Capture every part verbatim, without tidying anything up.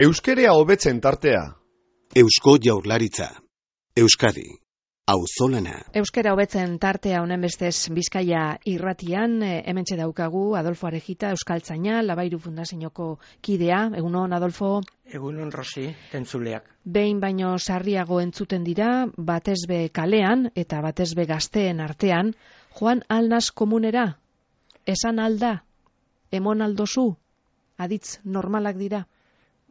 Euskerea hobetzen tartea. Eusko Jaurlaritza. Euskadi. Auzolana. Euskera hobetzen tartea honen bestez Bizkaia irratian, hementxe daukagu Adolfo Arejita, euskaltzaina, Labairu Fundazioko kidea. Egunon, Adolfo? Egunon, Rosi, tentzuleak. Behin baino sarriago entzuten dira, batezbe kalean eta batezbe gazteen artean, joan alnaz komunera, esan alda, emon aldozu, aditz normalak dira?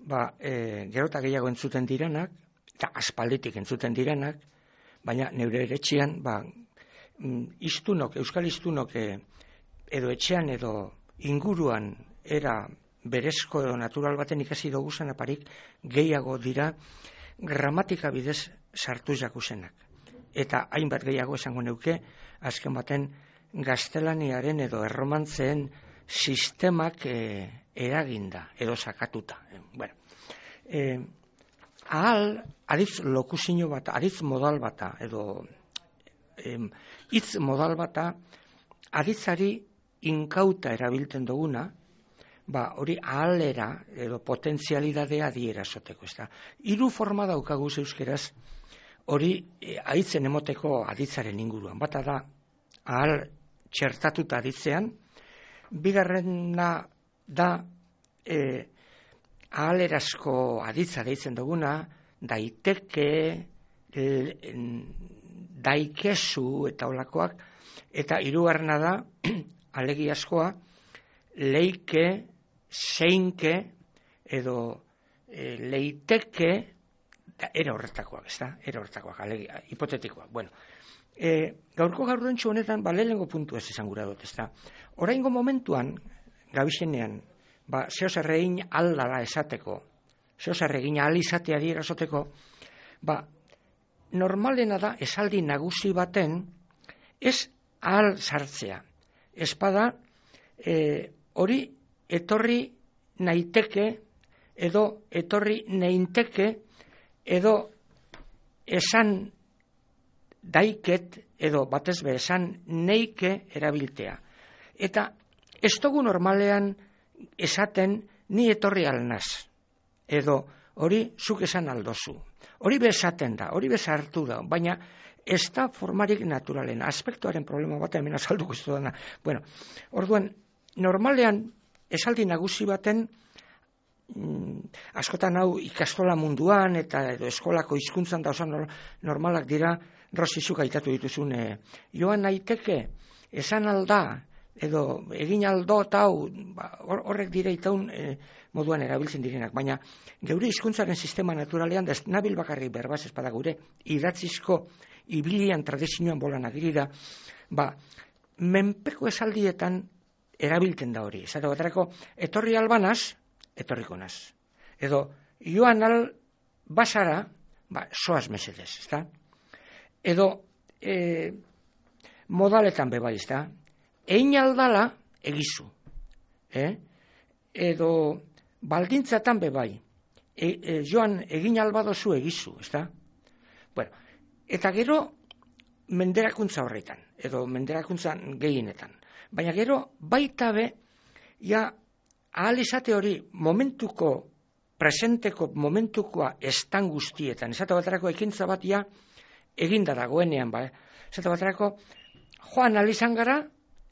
Ba, e, gero eta gehiago entzuten direnak, eta aspalditik entzuten direnak, baina neure etxean, ba, iztunok, euskal iztunok, e, edo etxean edo inguruan era berezko edo natural baten ikasi doguzan aparik, gehiago dira gramatika bidez sartu jakusenak. Eta hainbat gehiago esango neuke, azken baten gaztelaniaren edo erromantzeen sistemak e, eraginda edo sakatuta. E, bueno, e, ahal, aditz lokuzino bat, aditz modal bata, edo em, hitz modal bata, aditzari inkauta erabiltzen duguna, ba, hori ahalera edo potentzialidadea adierazoteko, ez da. Hiru forma daukaguz euskeraz, hori e, aditzen emoteko aditzaren inguruan. Bata da, ahal txertatuta aditzean, bigarrena da, e, ahalerazko aditza deitzen duguna, daiteke, daikezu eta olakoak, eta hirugarrena da, alegiazkoa, leike, zeinke, edo e, leiteke, da, era horretakoak, ez da? Era horretakoak, alegia, hipotetikoak. Bueno, e, gaurko gaurrentxu honetan, ba, lehenengo puntu ez esan gura dut, ez da? Oraingo momentuan, gabizenean, ba, zehoz erregin aldala esateko, zehoz erregin ahal izatea dierazoteko, ba, normalena da esaldi nagusi baten ez ahal sartzea. Espada, e, hori etorri naiteke, edo etorri neinteke, edo esan daiket, edo batezbe esan neike erabiltea. Eta ez dugu normalean esaten ni etorri alnaz, edo hori zuk esan aldozu. Hori bezaten da, hori bezartu da, baina ez da formarik naturalen, aspektuaren problema bat hemen azalduko ez dudana. Bueno, orduan, normalean esaldi nagusi baten, mm, askotan hau ikastola munduan eta edo eskolako hizkuntzan da osan normalak dira, Rosizuk aitatu dituzun, e, joan naiteke, esan alda, edo egin aldo eta hau, ba, horrek dire itaun e, moduan erabiltzen direnak. Baina geure hizkuntzaren sistema naturalean, da ez nabil bakarrik berbaz espada gure, idatzizko ibilian tradizioan bolan agirida, ba, menpeko esaldietan erabiltzen da hori. Esate baterako, etorri albanaz, etorriko naz. Edo, joan al basara, ba, soaz mesedez, ezta? Edo, e, modaletan bebai, ezta? Egin aldala, egizu. Eh? Edo, baldintzatan bebai, e, e, joan egin albadozu egizu, ezta? Bueno, eta gero, menderakuntza horretan, edo menderakuntzan gehienetan. Baina gero, baita be, ja, ahal izate hori, momentuko, presenteko momentukoa estan guztietan, esate baterako ekintza bat, ja, eginda dagoenean, ba, esate baterako, joan alizan gara,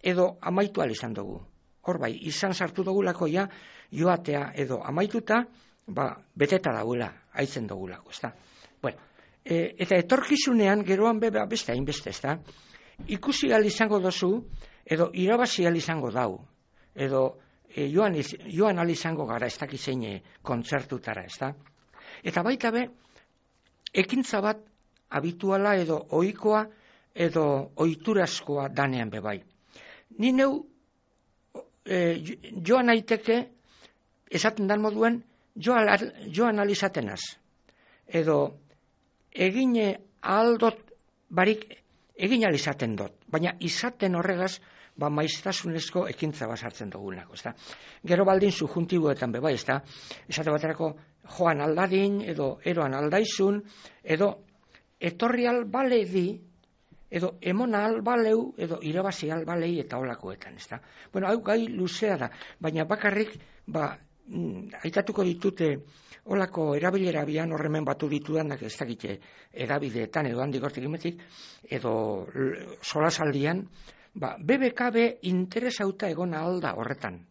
edo amaitu alizan dugu. Hor bai, izan sartu dugulako ja, joatea edo amaituta, ba, beteta dagoela, haitzen dugulako, ezta? Bueno, e, eta etorkizunean, geroan be, beste hainbeste, ezta? Ikusi alizango dozu, edo irabazi alizango dau, edo e, joan, joan alizango gara, ez dakizein kontzertutara, ezta? Eta baita be, ekintza bat, habituala edo ohikoa edo ohiturazkoa danean bebai. Ni neu e, joan aiteke esaten dan moduen joan, joan alizatenaz. Edo egine aldot barik egin alizaten dot. Baina izaten horregaz ba maiztasunezko ekintza bat sartzen dugunako. Ezta? Gero baldin subjuntiboetan bebai, ezta? Esate baterako joan aldadin edo eroan aldaizun edo etorri albale di, edo emona albaleu, edo irabazi albalei eta olakoetan, ezta? Bueno, hau gai luzea da, baina bakarrik, ba, aitatuko ditute olako erabilera bian horremen batu ditudanak ez dakite edabideetan edo handik hortik imetik, edo solasaldian, ba, B B K B interesauta egon alda horretan.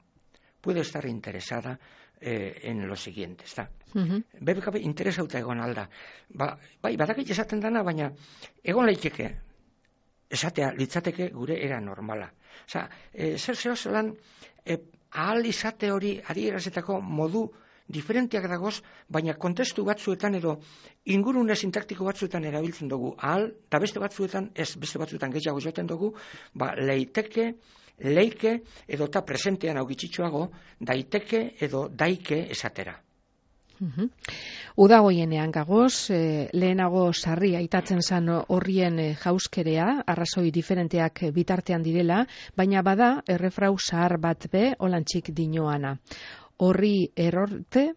Puede estar interesada eh, en lo siguiente, está. Uh-huh. B B K B interesauta egon alda. Ba, bai, badakit esaten dana, baina egon leiteke, esatea litzateke gure era normala. Osa, e, zer zeo zelan, e, ahal izate hori adierazitako modu diferenteak dagoz, baina kontestu batzuetan edo ingurune sintaktiko batzuetan erabiltzen dugu. Ahal, eta beste batzuetan, ez beste batzuetan gehiago joten dugu, ba, leiteke, leike, edo eta presentean augitxitxoago, daiteke edo daike esatera. Uhum. Udagoienean gagoz, eh, lehenago sarri aitatzen zan horrien eh, jauskerea, arrazoi diferenteak bitartean direla, baina bada errefrau zahar bat be olantxik dinoana. Horri erorte,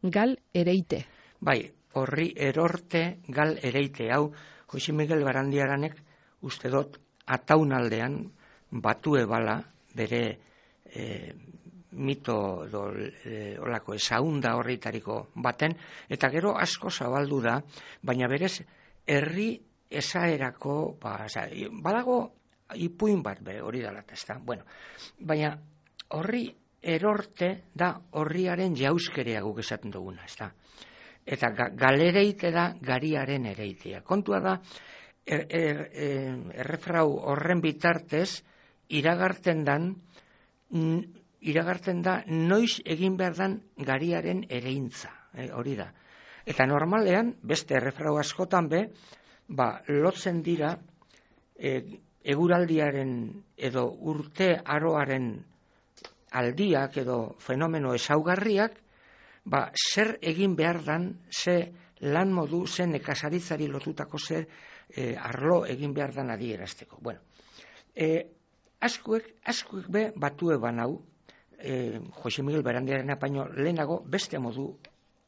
gal ereite. Bai, horri erorte, gal ereite. Hau, Jose Miguel Barandiaranek uste dut ataunaldean batu ebala bere eh, mito do, e, olako ezaunda horritariko baten, eta gero asko zabaldu da, baina berez herri esaerako, ba, oza, badago ipuin bat be, hori dalat, ez da? Bueno, baina horri erorte da horriaren jauskerea guk esaten duguna, ez da? Eta ga, galereite da gariaren ereitea. Kontua da, er, er, er, errefrau horren bitartez, iragarten dan, n, iragartzen da noiz egin behar dan gariaren ereintza, eh, hori da. Eta normalean, beste errefrau askotan be, ba, lotzen dira e, eguraldiaren edo urte aroaren aldiak edo fenomeno ezaugarriak, ba, zer egin behar dan, ze lan modu, ze nekazaritzari lotutako ze e, arlo egin behar dan adierazteko. Bueno, e, askuek, askuek be batue banau, Eh, Jose Miguel Barandiaren apaino lehenago beste modu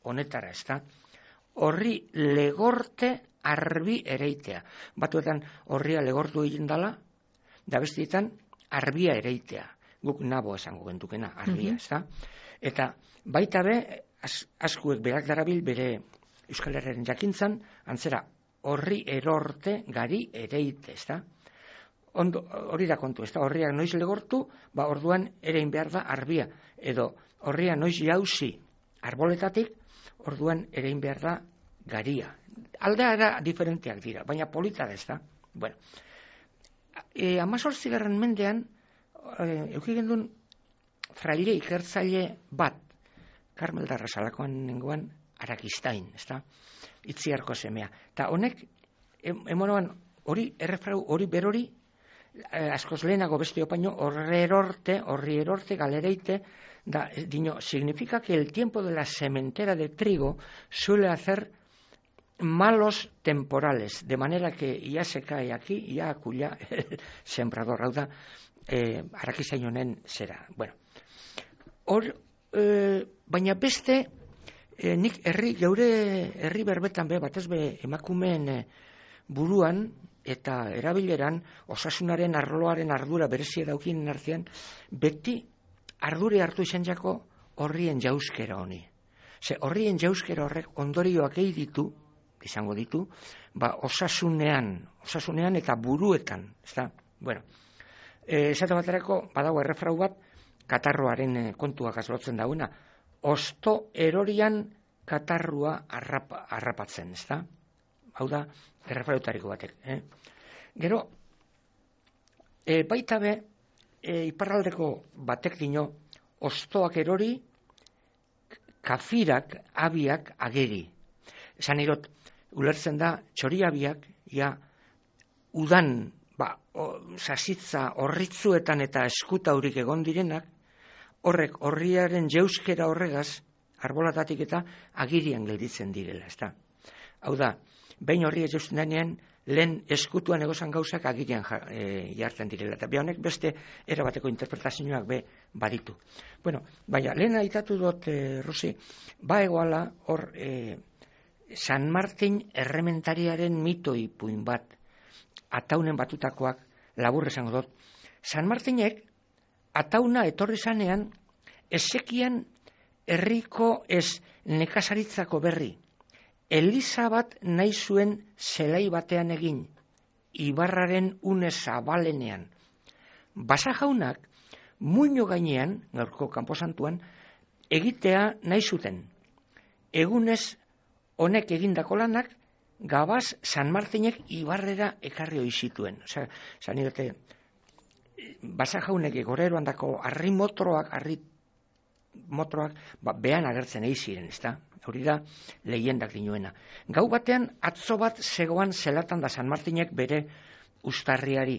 honetara, ez da? Horri legorte arbi ereitea. Batuetan horria legortu egin dala, da bestietan arbia ereitea. Guk nabo esango gentukena, arbia, ez da? Eta baita be, as, askuek berak darabil bere Euskal Herriaren jakintzan, antzera horri erorte gari ereite, ez da? Ondo, hori da kontu, ez da, horriak noiz legortu, ba orduan erein behar da arbia, edo horria noiz jauzi arboletatik, orduan erein behar da garia. Aldea era diferenteak dira, baina polita da, ez da. Bueno, e, amazortzigarren mendean, e, eukigendun fraile ikertzaile bat, Karmel Darrazalakoan nengoan, Arakistain, ez da, Itziarko semea. Eta honek, emonoan, hori, errefrau, hori berori, Eh, askoz lehenago beste opaino, horre erorte, horri erorte, galereite, da, dino, significa que el tiempo de la sementera de trigo suele hacer malos temporales, de manera que ya se cae aquí, ya aculla el sembrador, hau da, eh, Arakizain honen zera. Bueno, hor, eh, baina beste, eh, nik herri, geure herri berbetan be, batez be emakumeen eh, buruan, eta erabileran osasunaren arloaren ardura berezia daukinen artean, beti ardure hartu izan jako horrien jauskera honi. Ze horrien jauskera horrek ondorioak egin ditu, izango ditu, ba osasunean, osasunean eta buruetan, ezta? Bueno, eh, esate baterako badago errefrau bat, katarroaren eh, kontuak azlotzen dauna, osto erorian katarrua arrapa, arrapatzen, ezta? Hau da, errefrautariko batek. Eh? Gero, e, baita be, e, iparraldeko batek dino, ostoak erori, kafirak, abiak, ageri. Esan erot, ulertzen da, txoriabiak, ja, udan, ba, o, sasitza horritzuetan eta eskutaurik egon direnak, horrek, horriaren jeuskera horregaz, arbolatatik eta agirian gelditzen direla, ezta. Hau da, behin horri ez jausten denean, lehen eskutuan egozan gauzak agirian e, jartzen direla. Eta honek beste erabateko interpretazioak be baditu. Bueno, baina, lehen aitatu dut, e, Rosi, ba egoala hor e, San Martin errementariaren mitoi puin bat, ataunen batutakoak, labur esango dut. San Martinek, atauna etorri zanean, ezekian herriko ez nekazaritzako berri, eliza bat nahi zuen zelai batean egin, ibarraren une zabalenean. Basa jaunak, muino gainean, gaurko kanposantuan, egitea nahi zuten. Egunez honek egindako lanak, gabaz San Martinek ibarrera ekarri hoi zituen. Osea, zan idate, Basa jaunek goreroan dako harri motroak, harri motroak, ba, behan agertzen egin ziren, ezta? Hori da, lehiendak dinoena. Gau batean, atzo bat zegoan zelatan da San Martinek bere ustarriari,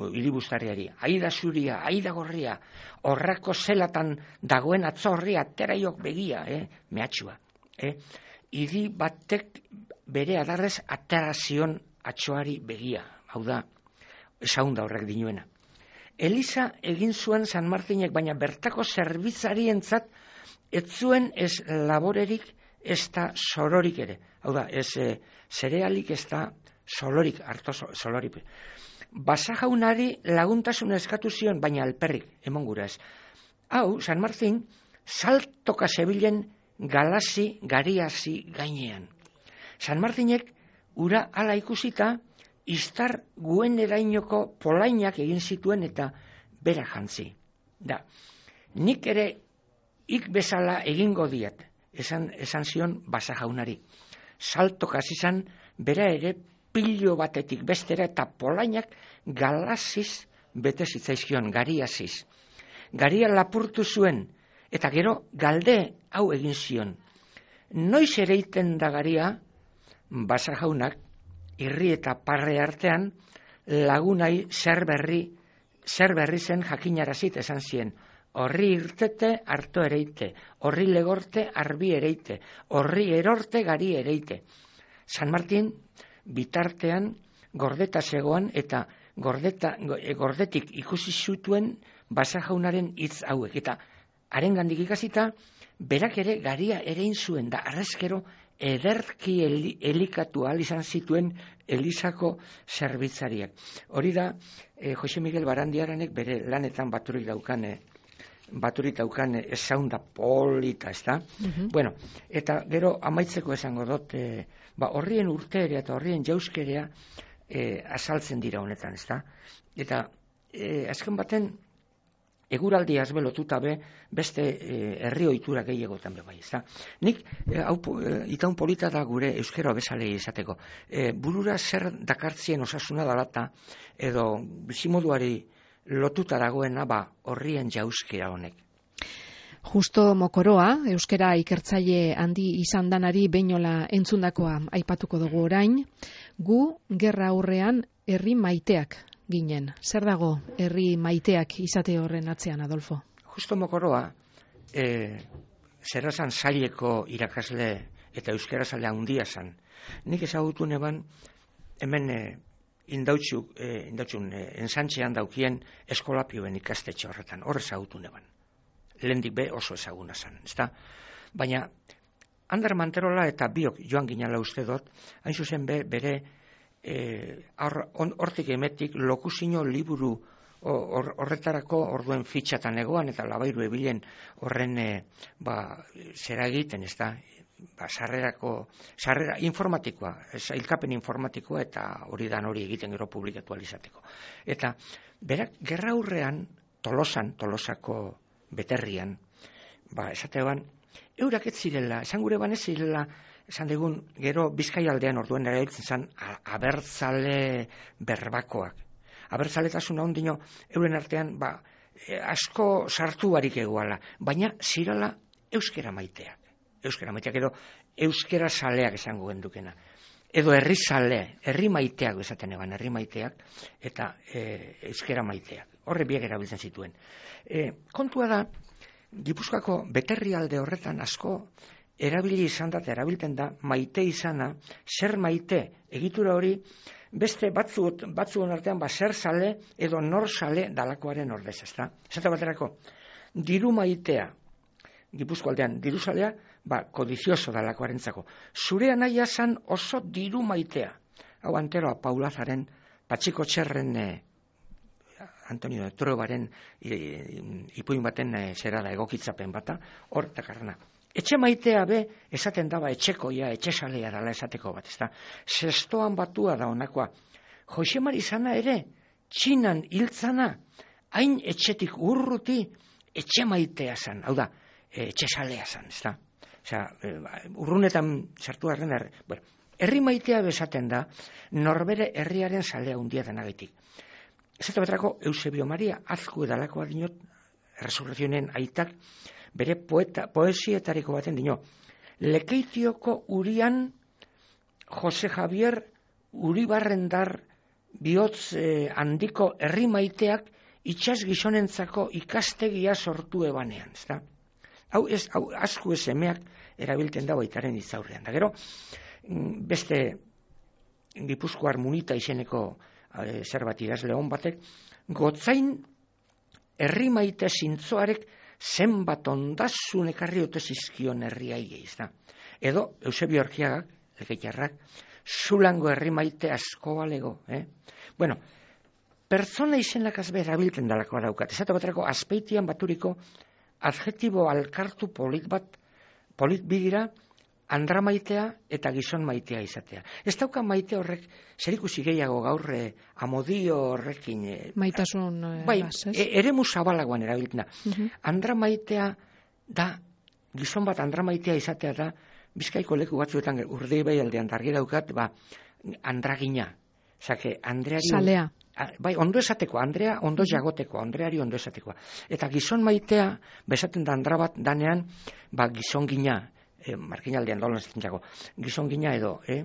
hiribustarriari, aida zuria, aida gorria, horrako zelatan dagoen atzo horri ateraiok begia, eh? Mehatxua. Eh? Idi batek bere adarrez aterazion atxoari begia, hau da, esaunda horrek dinoena. Eliza egin zuen San Martinek, baina bertako zerbitzarientzat ez zuen ez laborerik, ez da sororik ere. Hau da, ez e, zerealik ez da solorik, harto solorik. Basa jaunari laguntasun eskatu zion, baina alperrik, emon gura ez. Hau, San Martin, saltoka zebilen galasi, gariasi gainean. San Martinek, ura ala ikusita, iztar guen erainoko polainak egin zituen eta bera jantzi. Da, nik ere ik bezala egingo diat, esan, esan zion Basa jaunari. Saltok hasi izan, bera ere pilo batetik bestera eta polainak galasiz bete zitzaizkion, gariasiz. Garia lapurtu zuen, eta gero galde hau egin zion. Noiz ereiten da garia, Basa jaunak, irri eta parre artean, lagunai zer berri, zer berri zen jakinarazit esan zien. Horri irtete, harto ereite, horri legorte, arbi ereite, horri erorte, gari ereite. San Martin, bitartean, gordeta zegoan, eta gordeta, gordetik ikusi zutuen Basa jaunaren hitz hauek. Eta harengandik ikasita, berak ere garia erein zuen, da arrezkero, ederki elikatu ahal izan zituen Elizako zerbitzariak. Hori da, eh, Jose Miguel Barandiaranek bere lanetan baturik daukan, eh, baturik daukan eh, esaunda polita, ez da? Mm-hmm. Bueno, eta gero amaitzeko esango dut, eh, ba, horrien urteerea eta horrien jauskerea eh, azaltzen dira honetan, ez da? Eta eh, azken baten, eguraldi azbe lotuta be, beste eh, herri ohitura gehiagotan be bai, ezta. Nik eh, hau eh, itaun polita da gure euskera bezalei izateko. Eh, burura zer dakartzien osasuna dalata edo bizimoduari lotuta dagoena ba horrien jauskera honek. Justo Mokoroa, euskera ikertzaile handi izan danari beinola entzundakoa aipatuko dugu orain, gu gerra aurrean herri maiteak ginen. Zer dago herri maiteak izate horren atzean, Adolfo? Justo Mokoroa, e, zerrazan zaileko irakasle eta euskera zalea handia zan. Nik ezagutu neban, hemen e, indautxuk, e, indautxun, e, ensantxean daukien eskolapioen ikastetxe horretan, hor ezagutu neban. Lehendik be oso ezaguna zan, ezta? Baina, Ander Manterola eta biok joan ginala uste dut, hain zuzen be, bere hortik or, emetik lokusino liburu or, horretarako orduen fitxatan egoan eta labairu ebilen horren e, ba, zera egiten, ez da, ba, sarrerako, sarrera informatikoa, ilkapen informatikoa eta hori dan hori egiten gero publikatu alizateko. Eta berak gerra aurrean Tolosan, Tolosako beterrian, ba, esatean, eurak ez zirela, esan gure ban ez zirela, esan digun, gero Bizkaialdean orduen erabiltzen zen abertzale berbakoak. Abertzaletasun ondino euren artean ba, e, asko sartu barik egoala, baina zirala euskera maiteak. Euskera maiteak edo euskera saleak esango gendukena. Edo herri sale, herri maiteak esaten eban, herri maiteak eta e, euskera maiteak. Horre biak erabiltzen zituen. E, kontua da, Gipuzkoako beterrialde horretan asko erabili izan da, erabilten da, maite izana, zer maite, egitura hori, beste batzu, batzuen artean, ba, zer sale edo nor sale dalakoaren ordez, ezta? Esate baterako, diru maitea, Gipuzko aldean, diru salea, ba, kodizioso dalakoarentzako. Zure anaia zan oso diru maitea. Hau anteroa Paulazaren, Patxiko Txerren e, Antonio de Trobaren ipuin baten zera da egokitzapen bata, hor takarrana. Etxe maitea be, esaten daba etxekoia, etxesalea dala esateko bat, ez da. Zestoan batua da honakoa. Josemari zana ere, txinan hiltzana, hain etxetik urruti, etxe maitea zan, hau da, etxesalea zan, ez da. Osea, urrunetan sartu harren, er, bueno, herri maitea bezaten da, norbere herriaren salea hundia denagatik. Ez eta betrako, Eusebio Maria Azku edalakoa dinot, Resurrezionen aitak, bere poeta, poesietariko baten dino. Lekeitioko urian Jose Javier Uribarrendar bihotz eh, handiko herri maiteak itxas gizonentzako ikastegia sortu ebanean, ezta? Hau ez, hau Azku esemeak erabilten da baitaren itzaurrean. Da gero, beste Gipuzkoar Munita izeneko e, zerbat idazle hon batek, gotzain herri maite zintzoarek zenbat ondasun ekarri ote zizkion herriai gehiz da. Edo, Eusebio Orkiagak, lekeitarrak, zulango herri maite asko balego. Eh? Bueno, pertsona izenak azbe erabilten dalakoa daukat. Ezatu baterako, azpeitian baturiko adjetibo alkartu polit bat, polit bidira, andra maitea eta gizon maitea izatea. Ez dauka maite horrek, zerikusi gehiago gaur eh, amodio horrekin. Eh, Maitasun eh, bai, bas, ez? E, eremu zabalagoan erabiltena. Uh-huh. Andra maitea da, gizon bat andra maitea izatea da, Bizkaiko leku batzuetan Urdei bai aldean dargi daukat, ba, andragina. Zake, Andreari... Salea. Bai, ondo esateko, Andrea ondo jagoteko, Andreari ondo esatekoa. Eta gizon maitea, bezaten da andra bat danean, ba, gizon gina, eh, markinaldean dolan zaten jago, gizon gina edo, eh?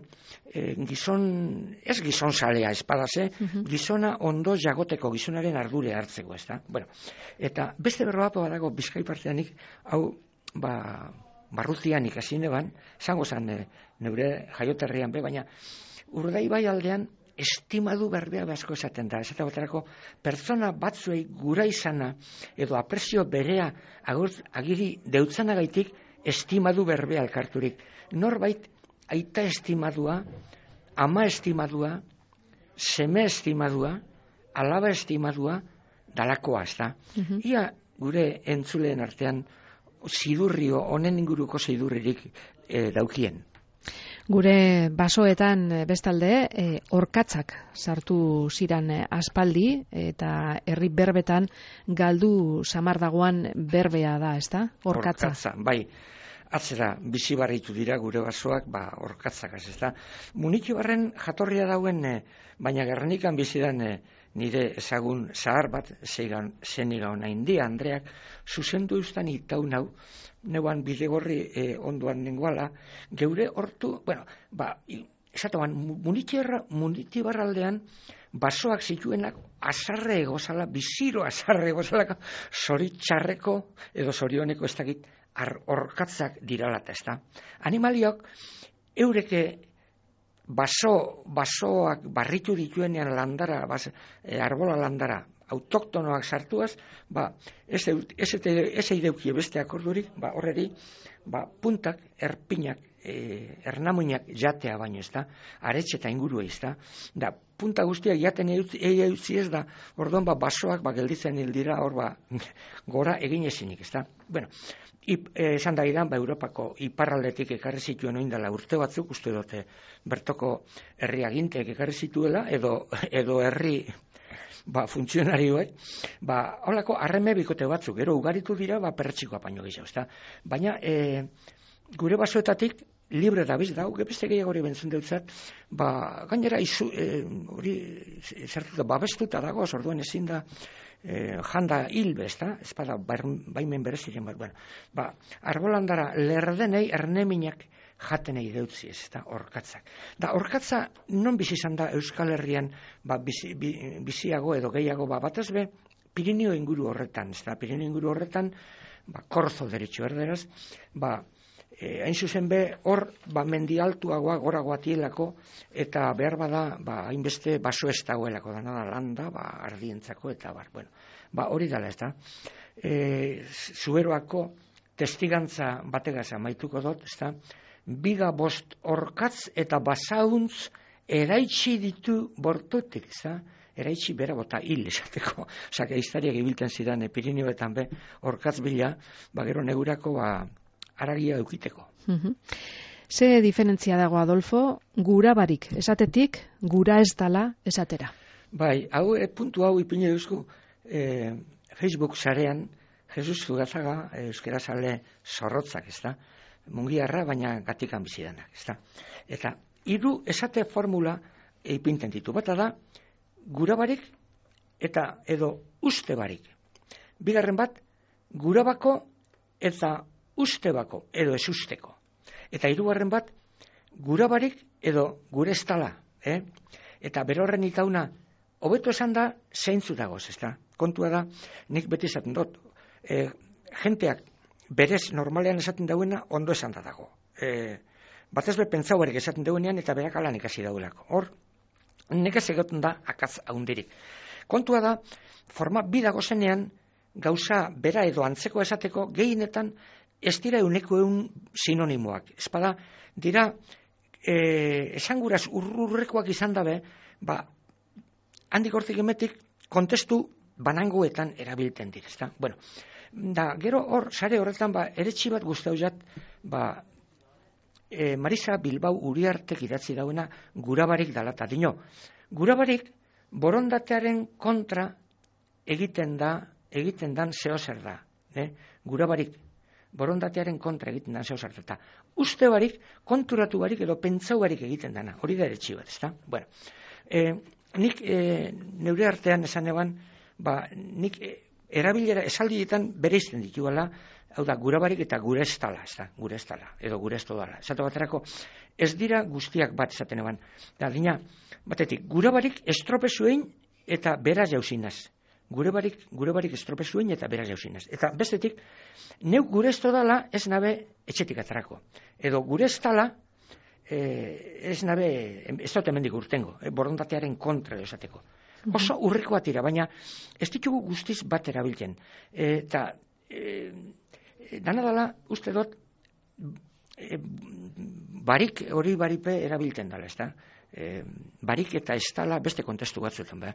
Eh, gizon, ez gizon salea espadaz, eh? Uh-huh. Gizona ondo jagoteko, gizonaren ardure hartzeko, ez da? Bueno, eta beste berroapo badago, Bizkai parteanik, hau, ba... barrutian ikasi neban, zango zan e, neure jaioterrian be, baina Urdai bai aldean estimadu berbea asko esaten da. Esate baterako, pertsona batzuei gura izana edo apresio berea agurt, agiri deutzanagaitik estimadu berbea elkarturik. Norbait aita estimadua, ama estimadua, seme estimadua, alaba estimadua, dalakoa, ez da. Uh-huh. Ia gure entzuleen artean zidurrio, honen inguruko zidurririk e, daukien. Gure basoetan bestalde, e, orkatzak sartu ziran aspaldi, eta herri berbetan galdu samardagoan berbea da, ez da? Orkatza. Orkatza, bai. Atzera, bizi barritu dira gure basoak, ba, orkatzak, ez da. Munitibarren jatorria dauen, e, baina Gernikan bizidan e, nire ezagun zahar bat, zeniga ona india, Andreak, zuzendu eustan itau nau, neuan bidegorri e, onduan nengoala, geure hortu, bueno, ba, esatuan, munitibarraldean, basoak zituenak azarre egozala, biziro azarre egozalaka, zoritxarreko edo zorioneko ez dakit, orkatzak diralata, ez da. Animaliok, eureke baso, basoak barritu dituenean landara, bas, e, arbola landara, autoktonoak sartuaz, ba, ez, ez, ez eideukie beste akordurik, ba, horreri, ba, puntak, erpinak, e, ernamuinak jatea baino, ez da, aretxe eta inguru ez da, da, punta guztiak jaten eutzi ez da, orduan, ba, basoak, ba, gelditzen hil dira, hor, ba, gora egin ezinik, ez da. Bueno, esan da idan, ba, Europako iparraldetik ekarri zituen oindala urte batzuk, uste dute, bertoko herri aginteek ekarri zituela, edo, edo herri, ba, funtzionarioek, ba, holako harreme bikote batzuk, gero ugaritu dira, ba, perretxikoa baino gehiago, ezta. Baina, e, gure basoetatik, libre da biz, da, beste gehiago hori bentzun deutzat, ba, gainera, izu, e, hori, zertuta, babestuta dago, orduan ezin da, e, janda hilbe, ezta, ez bada, baimen bereziren bat, bueno, ba, arbolandara lerdenei erneminak jatenei deutzi ez, eta orkatzak. Da, orkatza non bizi izan da Euskal Herrian, ba, bizi, biziago edo gehiago, ba, batez be, Pirineo inguru horretan, ez da, Pirineo inguru horretan, ba, korzo deritxo erderaz, ba, e, hain zuzen be, hor, ba, mendi altuagoa, goragoa tielako, eta behar bada, ba, hainbeste baso ez dagoelako, da, nada, landa, ba, ardientzako, eta bar, bueno, ba, hori dala, ez da. E, Zuberoako testigantza bategaz amaituko dut, ez da, biga bost orkatz eta basauntz eraitsi ditu bortotik, za? eraitsi bera bota hil esateko. Osa, geiztariak ibilten zidan e, Pirinioetan be, orkatz bila, ba, gero negurako ba, aragia eukiteko. Mhm. Ze diferentzia dago, Adolfo, gura barik esatetik, gura ez dala esatera? Bai, hau, e, puntu hau ipine duzku, e, Facebook sarean, Jesus Zugazaga, e, euskera sale zorrotzak, ez da? Mungiarra, baina gatikan bizidanak, ez da? Eta, hiru esate formula ipinten ditu. Bata da, gura barik eta edo uste barik. Bigarren bat, gura bako eta uste bako edo ez usteko. Eta hirugarren bat, gura barik edo gure ez tala. Eh? Eta berorren itauna, hobeto esan da, zeintzu dagoz, ez da? Kontua da, nik beti esaten dut, e, jenteak berez normalean esaten dauena ondo esan da dago. E, batez be pentsau barik esaten dauenean eta berak alan ikasi dauelako. Hor, nekez egoten da akatz haundirik. Kontua da, forma bi dagozenean, gauza bera edo antzeko esateko gehienetan ez dira euneko eun sinonimoak. Espada, dira, e, esanguraz urrurrekoak izan dabe, ba, handik hortik emetik, kontestu banangoetan erabilten direzta. Bueno, da, gero hor, sare horretan, ba, eretxi bat guztau jat, ba, e, Marisa Bilbao Uriartek idatzi dauena gurabarik dala, eta dino, gurabarik borondatearen kontra egiten da, egiten dan zehozer da, eh? Gurabarik borondatearen kontra egiten dan zehozer da, eta uste barik, konturatu barik edo pentsau barik egiten dana, hori da eretxi bat, ezta? Bueno, e, nik e, neure artean esan eban, ba, nik e, erabilera esaldietan bereizten dituela, hau da, gurabarik eta gure ez tala, ez da, gure ez tala, edo gure ez todala. Esatu baterako, ez dira guztiak bat esaten eban. Da, dina, batetik, gurabarik estropezuein eta beraz jauzinaz. Gure barik, gure barik estropezuein eta beraz jauzinaz. Eta bestetik, neuk gure ez todala ez nabe etxetik atarako. Edo gure ez tala, eh, ez nabe, ez dut hemendik urtengo, eh, borondatearen kontra esateko. Oso urrikoa tira, baina ez ditugu guztiz bat erabiltzen. Eta e, dana dala, uste dut, e, barik hori baripe erabiltzen dala, ez da? E, barik eta ez dala beste kontestu batzuetan, ba.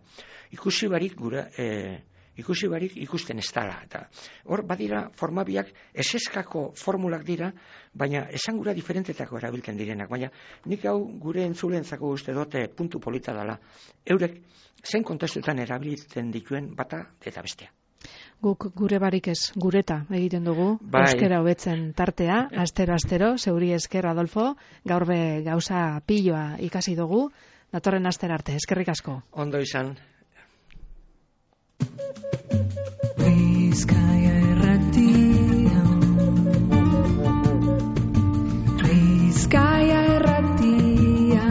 Ikusi barik gura, e, ikusi barik ikusten ez dala. Eta hor, badira, formabiak eseskako formulak dira, baina esangura diferentetako erabiltzen direnak. Baina nik hau gure entzulentzako uste dute puntu polita dala. Eurek, zein kontestuetan erabiltzen dituen bata eta bestea. Guk gure barik ez gureta egiten dugu, bai. Euskera hobetzen tartea, astero-astero, zeuri esker Adolfo, gaur be gauza piloa ikasi dugu, datorren astera arte, eskerrik asko. Ondo izan. Bizkaia erratia Bizkaia erratia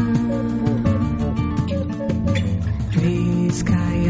Bizkaia